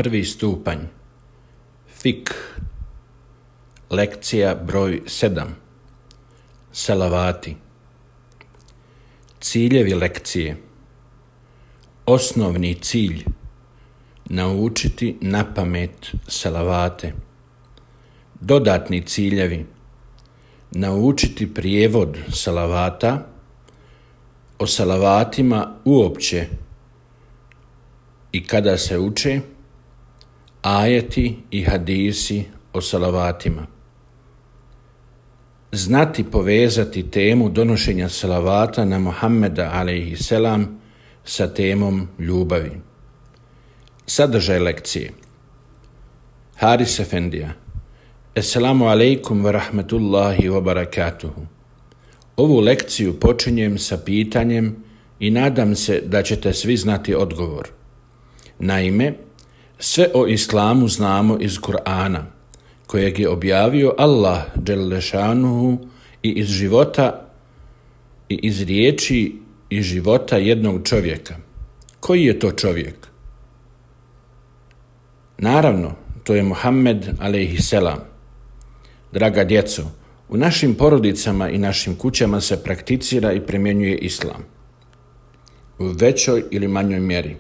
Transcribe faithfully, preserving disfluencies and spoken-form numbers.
Prvi stupanj. Fik. Lekcija broj sedam. Salavati. Ciljevi lekcije. Osnovni cilj. Naučiti napamet salavate. Dodatni ciljevi. Naučiti prijevod salavata, o salavatima uopće i kada se uče, ajeti i hadisi o salavatima. Znati povezati temu donošenja salavata na Muhammeda alejhi selam sa temom ljubavi. Sadržaj lekcije. Haris Efendija. Assalamu alaikum wa rahmatullahi wa barakatuhu. Ovu lekciju počinjem sa pitanjem i nadam se da ćete svi znati odgovor. Naime, sve o islamu znamo iz Kur'ana, kojeg je objavio Allah dželle šanuhu i iz života i iz riječi i života jednog čovjeka. Koji je to čovjek? Naravno, to je Muhammed alejhi selam. Draga djeco, u našim porodicama i našim kućama se prakticira i primjenjuje islam. U većoj ili manjoj mjeri.